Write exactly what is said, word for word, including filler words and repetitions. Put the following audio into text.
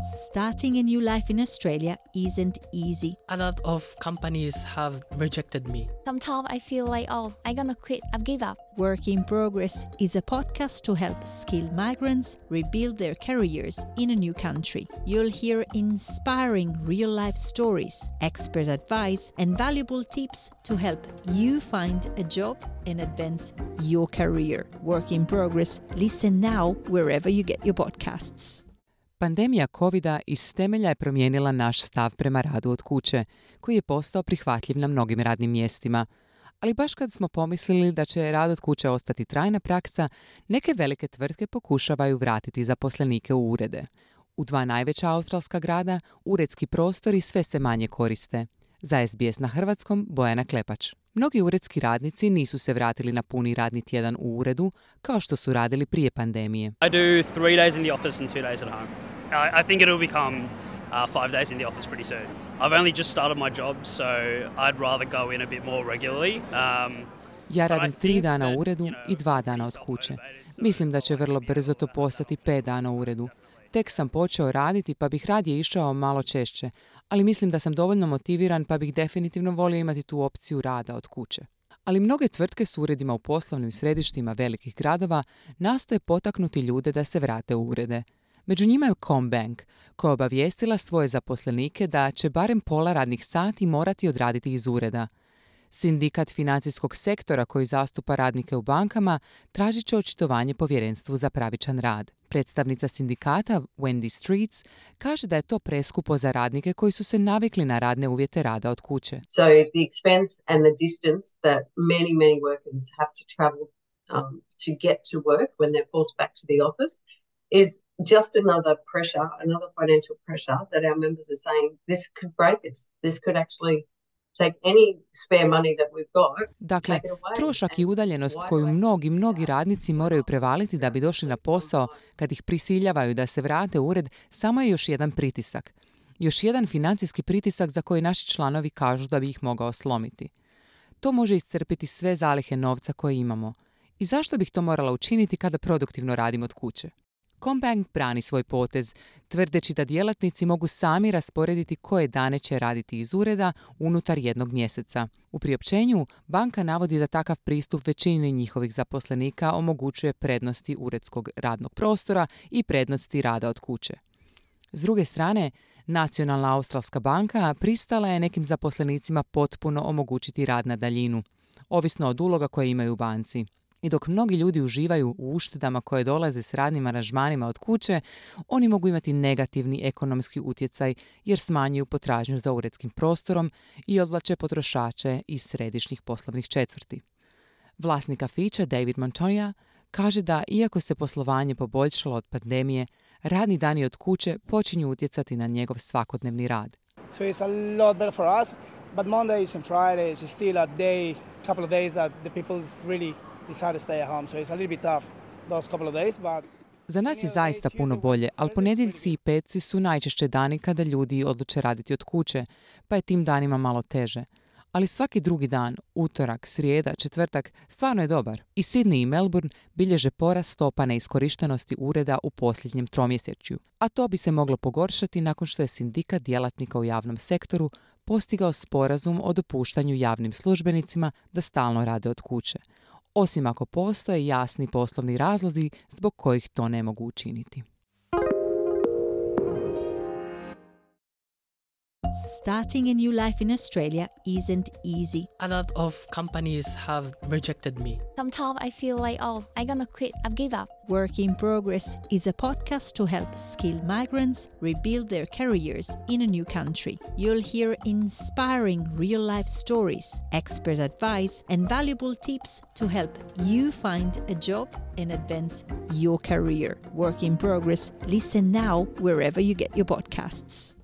Starting a new life in Australia isn't easy. A lot of companies have rejected me. Sometimes I feel like, oh, I'm gonna quit, I've give up. Work in Progress is a podcast to help skilled migrants rebuild their careers in a new country. You'll hear inspiring real-life stories, expert advice, and valuable tips to help you find a job and advance your career. Work in Progress. Listen now wherever you get your podcasts. Pandemija covida iz temelja je promijenila naš stav prema radu od kuće, koji je postao prihvatljiv na mnogim radnim mjestima. Ali baš kad smo pomislili da će rad od kuće ostati trajna praksa, neke velike tvrtke pokušavaju vratiti zaposlenike u urede. U dva najveća australska grada uredski prostori sve se manje koriste. Za S B S na hrvatskom Bojana Klepač. Mnogi uredski radnici nisu se vratili na puni radni tjedan u uredu kao što su radili prije pandemije. I do three days in the office and two days at home. I, I think it'll become uh, five days in the office pretty soon. I've only just started my job, so I'd rather go in a bit more regularly. Um, Ja radim tri dana u uredu i dva dana od kuće. Mislim da će vrlo brzo to postati pet dana u uredu. Tek sam počeo raditi pa bih radije išao malo češće, ali mislim da sam dovoljno motiviran pa bih definitivno volio imati tu opciju rada od kuće. Ali mnoge tvrtke s uredima u poslovnim središtima velikih gradova nastoje potaknuti ljude da se vrate u urede. Među njima je CommBank, koja je obavijestila svoje zaposlenike da će barem pola radnih sati morati odraditi iz ureda. Sindikat financijskog sektora koji zastupa radnike u bankama tražit će očitovanje povjerenstvu za pravičan rad. Predstavnica sindikata Wendy Streets kaže da je to preskupo za radnike koji su se navikli na radne uvjete rada od kuće. So the expense and the distance that many, many workers have to travel um, to get to work when they're forced back to the office is just another pressure, another financial pressure that our members are saying this could break us. This could actually take any spare money that we've got. Dakle, trošak i udaljenost koju mnogi, mnogi radnici moraju prevaliti da bi došli na posao kad ih prisiljavaju da se vrate u ured, samo je još jedan pritisak. Još jedan financijski pritisak za koji naši članovi kažu da bi ih mogao slomiti. To može iscrpiti sve zalihe novca koje imamo. I zašto bih to morala učiniti kada produktivno radim od kuće? CommBank brani svoj potez, tvrdeći da djelatnici mogu sami rasporediti koje dane će raditi iz ureda unutar jednog mjeseca. U priopćenju banka navodi da takav pristup većini njihovih zaposlenika omogućuje prednosti uredskog radnog prostora i prednosti rada od kuće. S druge strane, Nacionalna australska banka pristala je nekim zaposlenicima potpuno omogućiti rad na daljinu, ovisno od uloga koje imaju u banci. I dok mnogi ljudi uživaju u uštedama koje dolaze s radnim aranžmanima od kuće, oni mogu imati negativni ekonomski utjecaj jer smanjuju potražnju za uredskim prostorom i odvlače potrošače iz središnjih poslovnih četvrti. Vlasnik kafića David Montoya kaže da iako se poslovanje poboljšalo od pandemije, radni dani od kuće počinju utjecati na njegov svakodnevni rad. So it's a lot better for us, but Mondays and Fridays is still a day, couple of days that the people really decide to stay at home, so it's a little bit tough those couple of days, but za nas je zaista puno bolje, ali ponedjeljci i petci su najčešće dani kada ljudi odluče raditi od kuće, pa je tim danima malo teže. Ali svaki drugi dan, utorak, srijeda, četvrtak, stvarno je dobar. I Sydney i Melbourne bilježe porast stopa neiskorištenosti ureda u posljednjem tromjesečju. A to bi se moglo pogoršati nakon što je sindikat djelatnika u javnom sektoru postigao sporazum o dopuštanju javnim službenicima da stalno rade od kuće. Osim ako postoje jasni poslovni razlozi zbog kojih to ne mogu učiniti. Starting a new life in Australia isn't easy. A lot of companies have rejected me. Sometimes I feel like, oh, I'm gonna quit, I've give up. Work in Progress is a podcast to help skilled migrants rebuild their careers in a new country. You'll hear inspiring real-life stories, expert advice, and valuable tips to help you find a job and advance your career. Work in Progress. Listen now wherever you get your podcasts.